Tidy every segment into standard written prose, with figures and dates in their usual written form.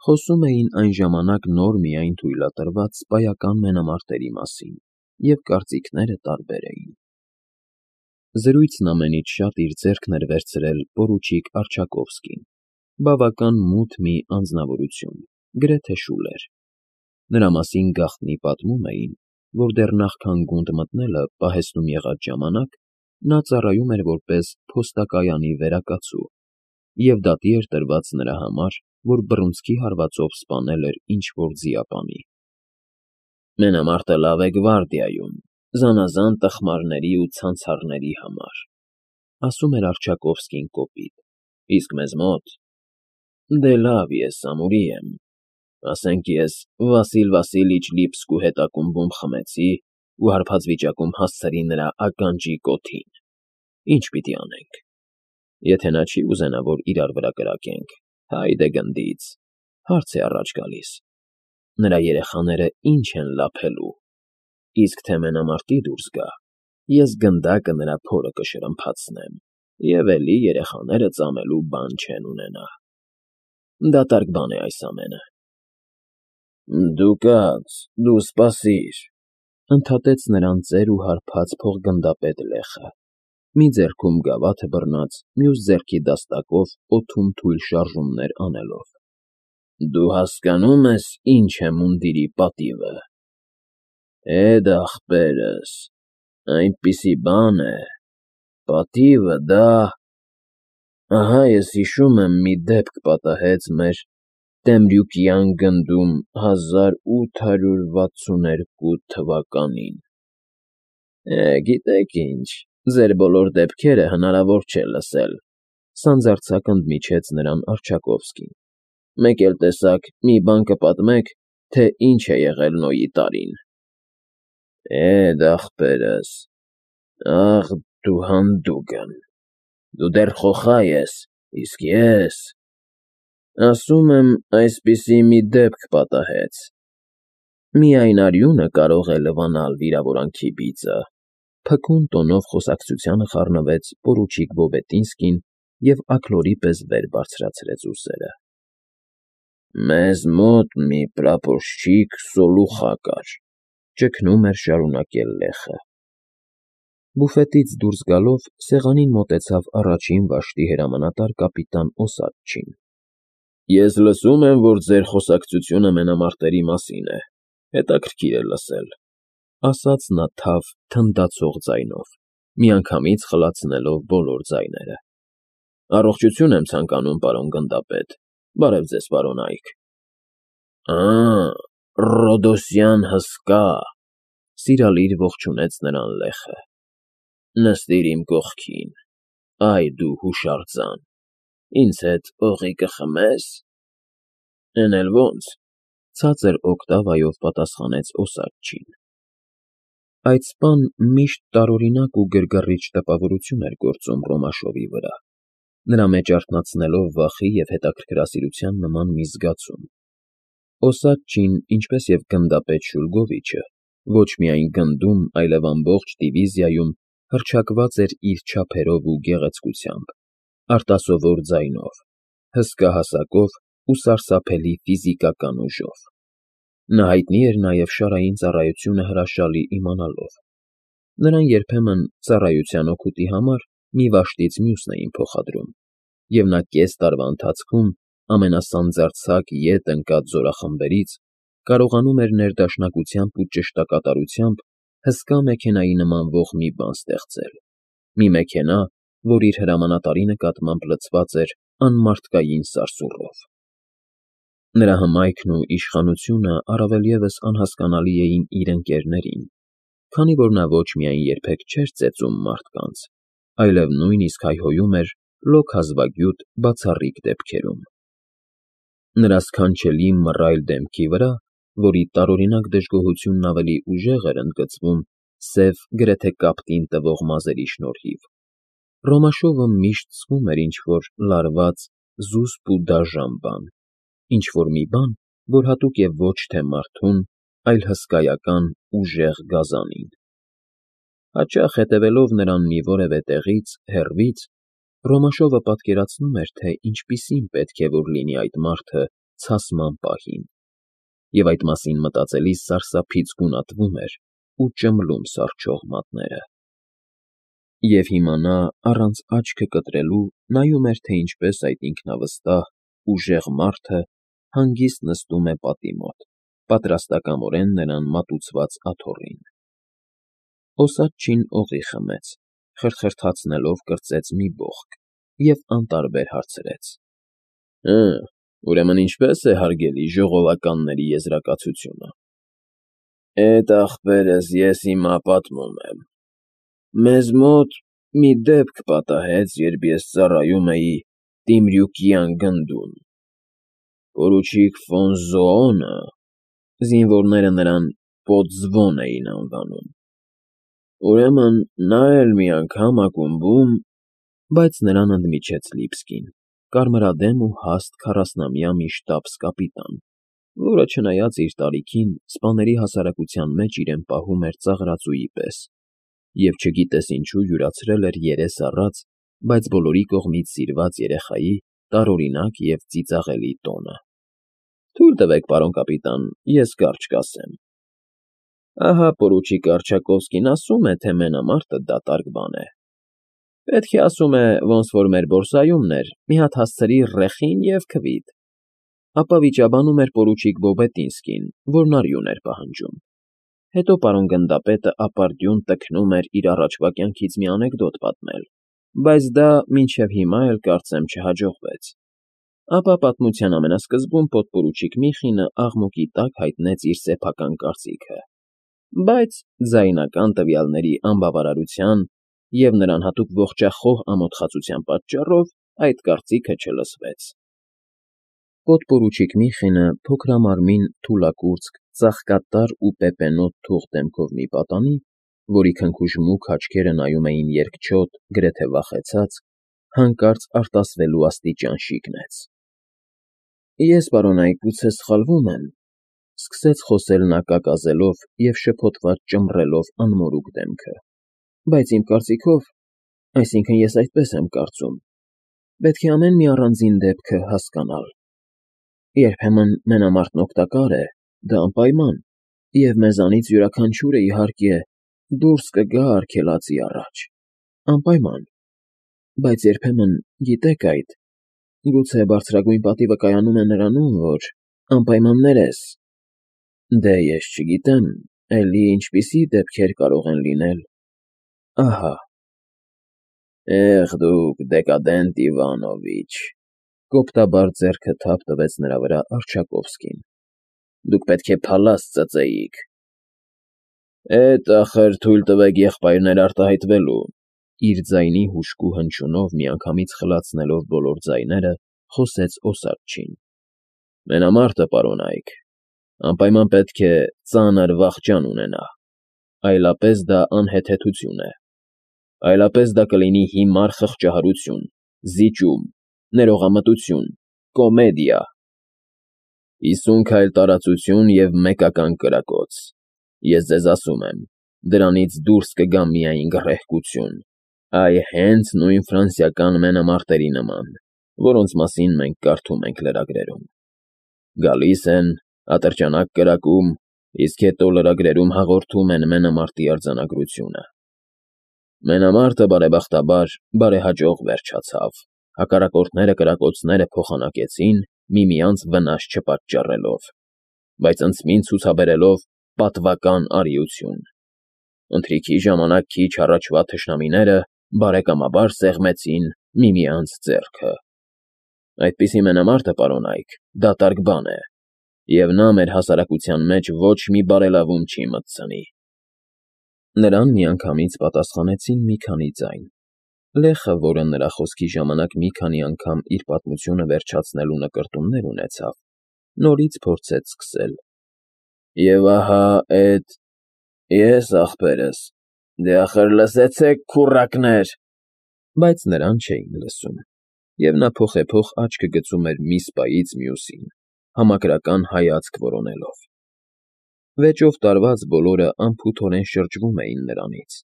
Խոսում էին այն ժամանակ նոր միայն թույլատրված սպայական մենամարտերի մասին, և կարծիքները տարբեր էին։ Զրույցն ամենից շատ իր ձեռքն էր վերցրել պորուչիկ Արչակովսկին, բավական մութ մի անձնավորություն, գրեթե շուլեր։ Նրա մասին գաղտնի պատմում էին, որ դեռ նախքան գունդ մտնելը պահեստում եղած ժամանակ նա ծառայում էր որպես փոստակայանի վերակացու, և դատի էր տրված նրա համար, որ բռունցքի հարվածով սպանել էր ինչ֊որ ձիապանի։ «Մենամարտը լավ է գվարդիայում, զանազան տխմարների ու ցանցառների համար», ասում էր Արչակովսկին կոպիտ, իսկ մեզ մոտ… Դե լավ, ես ամուրի եմ, ասենք ես Վասիլ Վասիլիչ Լիպսկու հետ ակումբում խմեցի ու հարբած վիճակում հասցրի նրա ականջի կոթին, ինչ պիտի անենք։ Եթե նա չի ուզենա, որ իրար վրա կրակենք, հայդե գնդից, հարց է առաջ գալիս. նրա երեխաները ինչ են լափելու, իսկ թե մենամարտի դուրս գա, ես գնդակը նրա փորը կշրմփացնեմ, և էլի երեխաները ծամելու բան չեն ունենա։ Դատարկ բան է այս ամենը։ Դու կաց, դու սպասիր, ընդհատեց նրան ծեր ու հարբած փողգնդապետ Լեխը, մի ձեռքում գավաթը բռնած, մյուս ձեռքի դաստակով օդում թույլ շարժումներ անելով։ Դու հասկանո՞ւմ ես, ինչ է մունդիրի պատիվը։ Էդ ախպերս, այնպիսի բան է, պատիվը դա… Ահա ես հիշում եմ, մի դեպք պատահեց մեր Տեմրյուկյան գնդում 1862 թվականին։ Գիտեք ինչ, ձեր բոլոր դեպքերը հնարավոր չէ լսել, սանձարձակ ընդմիջեց նրան Արչակովսկին։ Մեկ էլ տեսակ, մի բան կպատմեք, թե ինչ է եղել Նոյի տարին։ Էդ ախպերս, ախ դու հանդուգն, դու դեռ խոխա ես, իսկ ես… Ասում եմ, այսպիսի մի դեպք պատահեց։ Միայն արյունը կարող է լվանալ վիրավորանքի բիծը, փքուն տոնով խոսակցությանը խառնվեց պորուչիկ Վոբետինսկին և աքլորի պես վեր բարձրացրեց ուսերը։ Մեզ մոտ մի պրապորշչիկ Սոլուխա կար, ճգնում էր շարունակել Լեխը։ Բուֆետից դուրս գալով սեղանին մոտեցավ առաջին վաշտի հրամանատար կապիտան Օսադչին։ Ես լսում եմ, որ ձեր խոսակցությունը մենամարտերի մասին է, հետաքրքիր է լսել, ասաց նա թավ, թնդացող ձայնով, միանգամից խլացնելով բոլոր ձայները։ Առողջություն եմ ցանկանում, պարոն գնդապետ, բարև ձեզ, պարոն Այք։ Ռոդոսյան հսկա, սիրալիր ողջունեց նրան Լեխը։ Նստիր իմ կողքին, այ դու հուշարձան, ինձ հետ օղի կխմես։ Էն էլ ոնց, ցածր օկտավայով պատասխանեց Օսադչին։ Այդ սպան միշտ տարօրինակ ու գրգռիչ տպավորություն էր գործում Ռոմաշովի վրա, նրա մեջ արթնացնելով վախի և հետաքրքրասիրության նման մի զգացում։ Օսադչին, ինչպես և գնդապետ Շուլգովիչը, ոչ միայն գնդում, այլև ամբողջ դիվիզիայում հռչակված էր իր չափերով ու գեղեցկությամբ, արտասովոր ձայնով, հսկա հասակով ու սարսափելի ֆիզիկական ուժով։ Նա հայտնի էր նաև շարային ծառայությունը հրաշալի իմանալով։ Նրան երբեմն ծառայության օգուտի համար մի վաշտից մյուսն էին փոխադրում, և նա կես տարվա ընթացքում ամենասանձարձակ ետ ընկած զորախմբերից կարողանում էր ներդաշնակությամբ ու ճշտակատարությամբ հսկա մեքենայի նմանվող մի բան ստեղծել, մի մեքենա, որ իր հրամանատարի նկատմամբ լցված էր անմարդկային սարսուռով։ Նրա հմայքն ու իշխանությունը առավել ևս անհասկանալի էին իր ընկերներին, քանի որ նա ոչ միայն երբեք չէր ծեծում մարդկանց, այլև նույնիսկ հայհոյում էր լոկ հազվագյուտ բացառիկ դեպքերում։ Նրա սքանչելի մռայլ դեմքի վրա, որի տարօրինակ դժգոհությունն ավելի ուժեղ էր ընդգծվում սև, գրեթե կապտին տվող մազերի շնորհիվ, Ռոմաշովը միշտ զգում էր ինչ֊որ լարված, զուսպ ու դաժան բան, ինչ֊որ մի բան, որ հատուկ է ոչ թե մարդուն, այլ հսկայական, ուժեղ գազանին։ Հաճախ հետևելով նրան մի որևէ տեղից, հեռվից, Ռոմաշովը պատկերացնում էր, թե ինչպիսին պետք է որ լինի այդ մարդը, ցասման պահին, և այդ մասին մտածելիս սարսափից գունատվում էր ու ճմլում սառչող մատները։ Եվ հիմա նա, առանց աչքը կտրելու, նայում էր, թե ինչպես այդ ինքնավստահ, ուժեղ մարդը հանգիստ նստում է պատի մոտ, պատրաստակամորեն նրան մատուցված աթոռին։ Օսաչին օղի խմեց, խրթխրթացնելով կրծեց մի բողոք և անտարբեր հարցրեց. Ուրեմն ինչպե՞ս է, հարգելի ժողովականների եզրակացությունը։ Էդ ախպերս ես հիմա պատմում եմ։ Մեզ մոտ մի դեպք պատահեց, երբ ես ծառայում էի Տիմրյուկյան գնդում։ Պորուչիկ ֆոն Զոոնը, զինվորները նրան Պոդզվոն էին անվանում։ Ուրեմն նա էլ մի անգամ ակումբում… Բայց նրան ընդմիջեց Լիբսկին, կարմրադեմ ու հաստ 40-ամյա մի շտաբս֊կապիտան, որը, չնայած իր տարիքին, սպաների հասարակության մեջ իրեն պահում էր ծաղրածուի պես և չգիտես ինչու յուրացրել էր երես առած, բայց բոլորի կողմից սիրված երեխայի տարօրինակ և ծիծաղելի տոնը։ Թույլ տվեք, պարոն կապիտան, ես կարճ կասեմ։ Ահա պորուչիկ Արչակովսկին ասում է, թե մենամարտը դատարկ բան է։ Պետք է, ասում է, ոնց որ մեր բորսայումն էր, մի հատ հասցրի ռեխին և քվիթ։ Ապա վիճաբանում էր պորուչիկ Բոբետինսկին, որն արյուն էր պահանջում։ Հետո պարոն գնդապետը ապարդյուն տքնում էր իր առաջվա կյանքից մի անեկդոտ պատմել, բայց դա մինչև հիմա էլ, կարծեմ, չհաջողվեց։ Ապա պատմության ամենասկզբում պոդպորուչիկ Միխինը աղմուկի տակ հայտնեց իր սեփական կարծիքը, բայց ձայնական տվյալների անբավարարության և նրան հատուկ ողջախոհ ամոթխածության պատճառով այդ կարծիքը չլսվեց։ Պոդպորուչիկ Միխինը փոքրամարմին, թուլակուրծք, ծաղկատար ու պեպենոտ թուղ դեմքով մի պատանի, որի քնքուշ մուգ աչքերը նայում էին երկչոտ, գրեթե վախեցած, հանկարծ արտասվելու աստիճան շիկնեց։ Ես, պարոնայք, գուցե սխալվում եմ, սկսեց խոսել նա կակազելով և շփոթված ճմռելով անմորուք դեմքը, բայց իմ կարծիքով, այսինքն ես այդպես եմ կարծում, պետք է ամեն մի առանձին դեպքը հասկանալ։ Երբեմն մենամարտն օգտակար է, դա անպայման, և մեզանից յուրաքանչյուրը, իհարկե, դուրս կգա արգելածի առաջ, անպայման, բայց երբեմն, գիտեք այդ, գուցե բարձրագույն պատիվը կայանում է նրանում, որ անպայմաններ ես… Դե ես չգիտեմ, էլի ինչպիսի դեպքեր կարող են լինել… Ահա… Դուք դեկադենտ Իվանովիչ, կոպտաբար ձեռքը թափ տվեց նրա վրա Արչակովսկին, դուք պետք է փալաստ ծծեիք… Էդ, ախր, թույլ տվեք եղբայրներ արտահայտվելու… Իր ձայնի հուժկու հնչյունով միանգամից խլացնելով բոլոր ձայները, խոսեց Օսաչին. Մենամարտը, պարոնայք, անպայման պետք է ծանր վախճան ունենա, այլապես դա անհեթեթություն է, այլապես դա կլինի հիմար խղճահարություն, զիջում, ներողամտություն, կոմեդիա, 50 քայլ տարածություն և մեկական կրակոց… Ես ձեզ ասում եմ, դրանից դուրս կգա միայն գռեհկություն, այ հենց նույն ֆրանսիական մենամարտերի նման, որոնց մասին մենք կարդում ենք լրագրերում… Գալիս են, ատրճանակ կրակում, իսկ հետո լրագրերում հաղորդում են մենամարտի արձանագրությունը… Մենամարտը, բարեբախտաբար, բարեհաջող վերջացավ, հակառակորդները կրակոցները փոխանակեցին, միմյանց վնաս չպատճառելով, բայց ընդցմին ցուցաբերելով պատվական արիություն… Ընթրիքի ժամանակ քիչ առաջվա թշնամիները բարեկամաբար սեղմեցին միմյանց ձեռքը… Այդպիսի մենամարտը, պարոնայք, դատարկ բան է, և նա մեր հասարակության մեջ ոչ մի բարելավում չի մտցնի… Նրան միանգամից պատասխանեցին մի քանի ձայն… Լեխը, որը նրա խոսքի ժամանակ մի քանի անգամ իր պատմությունը վերջացնելու նկրտումներ ունեցավ, նորից փորձեց սկսել. Եվ ահա էդ… Ես, ախպերս… Դե ախր լսեցեք, քուռակներ… Բայց նրան չէին լսում, և նա փոխեփոխ աչքը գցում էր մի սպայից մյուսին, համակրական հայացք որոնելով… Վեճով տարված բոլորը անփութորեն շրջվում էին նրանից,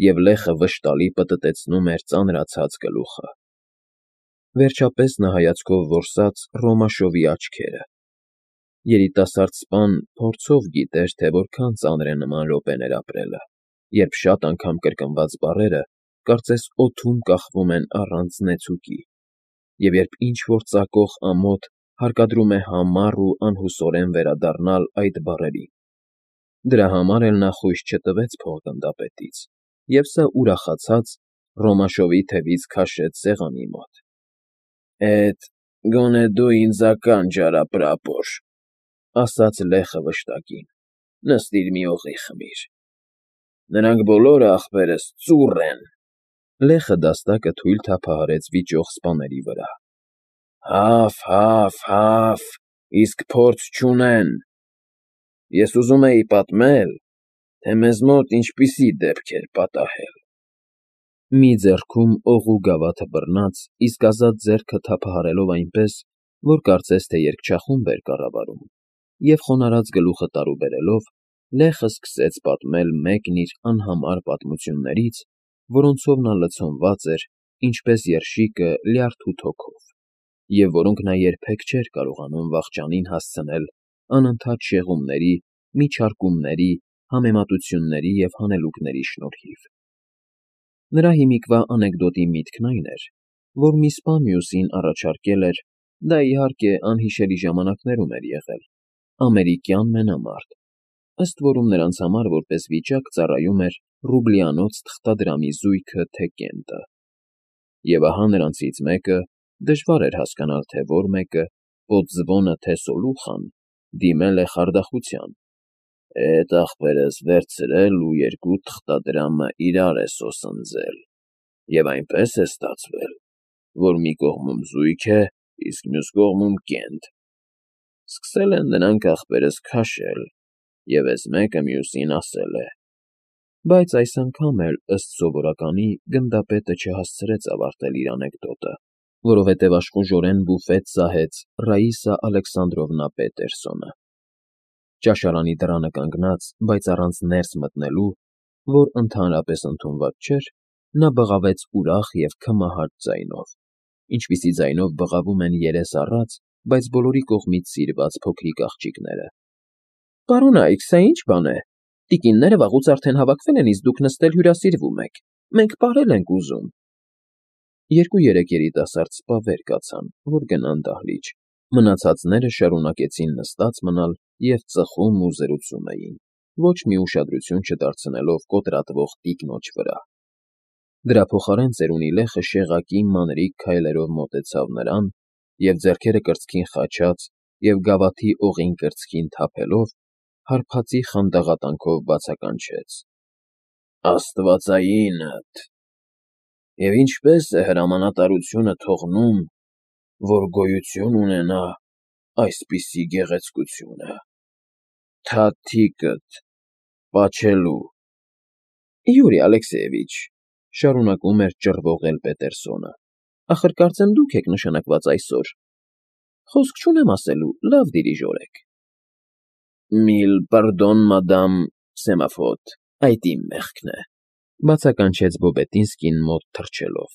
և լեխը վշտալի պտտեցնում էր ծանրացած գլուխը… Վերջապես նա հայացքով որսաց Ռոմաշովի աչքերը։ Երիտասարդ սպան փորձով գիտեր, թե որքան ծանր է նման րոպեներ ապրելը, երբ շատ անգամ կրկնված բառերը կարծես օդում կախվում են առանց նեցուկի, և երբ ինչ-որ ծակող ամոթ հարկադրում է համառ ու անհուսորեն վերադառնալ այդ բառերին։ Դրա համար էլ նա խույս չտվեց փոխգնդապետից, և սա ուրախացած Ռոմաշովի թևից քաշեց սեղանի մոտ։ «Էդ գոնե դու ինձ ականջ արա, պրապոր,֊ ասաց լեխը վշտակին,֊ նստիր մի օղի խմիր։ Նրանք բոլորը, ախպերս, ծուռ են…» Լեխը դաստակը թույլ թափահարեց վիճող սպաների վրա։ Հաֆ, իսկ փորձ չունեն… Ես ուզում էի պատմել, թե մեզ մոտ ինչպիսի դեպք էր պատահել… Մի ձեռքում օղու գավաթը բռնած, իսկ ազատ ձեռքը թափահարելով այնպես, որ կարծես թե երգչախումբ էր կառավարում, և խոնարհած գլուխը տարուբերելով, լեխը սկսեց պատմել մեկն իր անհամար պատմություններից, որոնցով նա լցոնված էր, ինչպես երշիկը լյարդու թոքով, և որոնք նա երբեք չէր կարողանում վախճանին հասցնել անընդհատ շեղումների, միջարկումների, համեմատությունների և հանելուկների շնորհիվ։ Նրա հիմիկվա անեկդոտի միտքն այն էր, որ մի սպա մյուսին առաջարկել էր (դա, իհարկե, անհիշելի ժամանակներում էր եղել) ամերիկյան մենամարտ, ըստ որում նրանց համար որպես վիճակ ծառայում էր ռուբլյանոց թղթադրամի զույգը թե կենտը։ Եվ ահա նրանցից մեկը (դժվար էր հասկանալ, թե որ մեկը, Պոդզվոնը թե Սոլուխան) դիմել է խարդախության. «Էդ ախպերս վերցրել ու երկու թղթադրամը իրար է սոսնձել, և այնպես է ստացվել, որ մի կողմում զույգ է, իսկ մյուս կողմում կենտ… Սկսել են նրանք, ախպերս, քաշել, և էս մեկը մյուսին ասել է…» Բայց այս անգամ էլ, ըստ սովորականի, գնդապետը չհասցրեց ավարտել իր անեկդոտը, որովհետև աշխուժորեն բուֆետ սահեց Ռաիսա Ալեքսանդրովնա Պետերսոնը։ Ճաշարանի դռանը կանգնած, բայց առանց ներս մտնելու, որ ընդհանրապես ընդունված չէր, նա բղավեց ուրախ և քմահաճ ձայնով, ինչպիսի ձայնով բղավում են երես առած, բայց բոլորի կողմից սիրված փոքրիկ աղջիկները։ «Պարոնա՛յք, սա ի՞նչ բան է… Տիկինները վաղուց արդեն հավաքվել են, իսկ դուք նստել հյուրասիրվում եք… Մենք պարել ենք ուզում…» Երկու-երեք երիտասարդ սպա վեր կացան, որ գնան դահլիճ, մնացածները շարունակեցին նստած մնալ և ծխում ու զրուցում էին, ոչ մի ուշադրություն չդարձնելով կոտրատվող տիկնոջ վրա։ Դրա փոխարեն ծերունի լեխը շեղակի մանրիկ քայլերով մոտեցավ նրան և, ձեռքերը կրծքին խաչած և գավաթի օղին կրծքին թափելով, հարբածի խանդաղատնքով բացականչեց. «Աստվածայինդ… Եվ ինչպե՞ս է հրամանատարությունը թողնում, որ գոյություն ունենա այսպիսի գեղեցկությունը… Թաթիկդ… պաչելու…»։ «Յուրի Ալեքսեևիչ,֊ շարունակում էր ճռվողել Պետերսոնը,֊ ախր կարծեմ դուք եք նշանակված այսօր… Խոսք չունեմ ասելու, լավ դիրիժոր եք…»։ «Միլ պարդոն, մադամ Սեմաֆոտ, այդ իմ մեղքն է,֊ բացականչեց Բոբետինսկին մոտ թռչելով։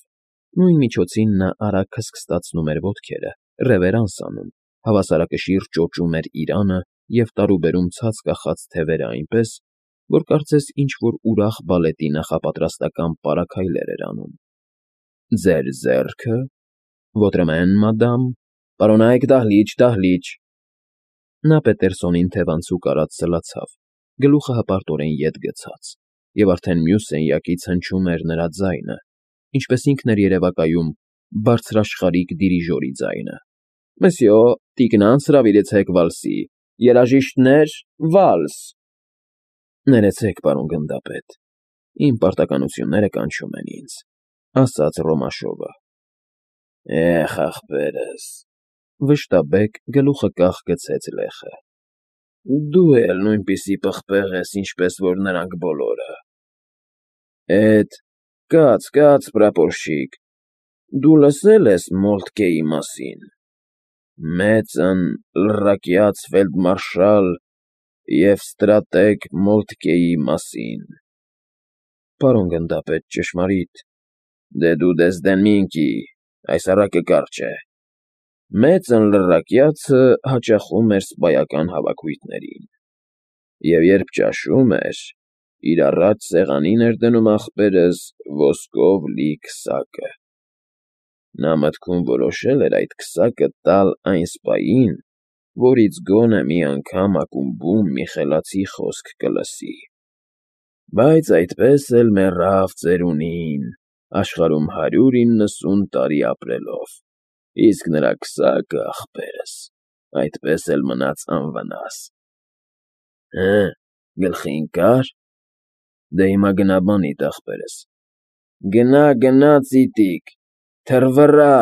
Նույն միջոցին նա արագ քստքստացնում էր ոտքերը, ռևերանս անում, հավասարակշիռ ճոճում էր իրանը և տարուբերում ցած կախած թևերը այնպես, որ կարծես ինչ֊որ ուրախ բալետի նախապատրաստական պարաքայլեր էր անում։ «Ձեր ձեռքը… Ոտրմեն, մադամ… Պարոնա՛յք, դահլիճ, դահլիճ…»։ Նա Պետերսոնին թևանցուկ արած սլացավ, գլուխը հպարտորեն ետ գցած, և արդեն մյուս սենյակից հնչում էր նրա ձայնը, ինչպես ինքն էր երևակայում բարձրաշխարհիկ դիրիժորի ձայնը. «Մսյո, տիկնանց հրավիրեցեք վալսի… Երաժիշտներ, վալս…»։ «Ներեցեք, պարոն գնդապետ, իմ պարտականությունները կանչում են ինձ,֊ ասաց Ռոմաշովը։ «Էհ, ախպերս…֊ վշտաբեկ գլուխը կախ գցեց լեխը,֊ Դու էլ նույնպիսի պղպեղ ես, ինչպես որ նրանք բոլորը… Էդ… կաց, պրապորշիկ, դու լսե՞լ ես Մոլթկեի մասին… Մեծն, լռակյաց ֆելդմարշալ և ստրատեգ Մոլթկեի մասին…»։ «Պարոն գնդապետ, ճշմարիտ…» «Դե դու Դեզդեմինկի, այս առակը կարճ է։ Մեծ անլռակյացը հաճախում էր սպայական հավաքույթներին, և երբ ճաշում էր, իր առաջ սեղանին էր դնում ախպերս ոսկով լի քսակը։ Նա մտքում որոշել էր այդ քսակը տալ այն սպային, որից գոնե մի անգամ ակումբում մի խելացի խոսք կլսի։ Բայց այդպես էլ մեռավ ծերունին, աշխարհում 190 տարի ապրելով, իսկ նրա քսակը, ախպերս, այդպես էլ մնաց անվնաս։ Հը, գլխի ընկա՞ր։ Դե հիմա գնա բանիդ, ախպերս, գնա, ծիտիկ, թռվռա։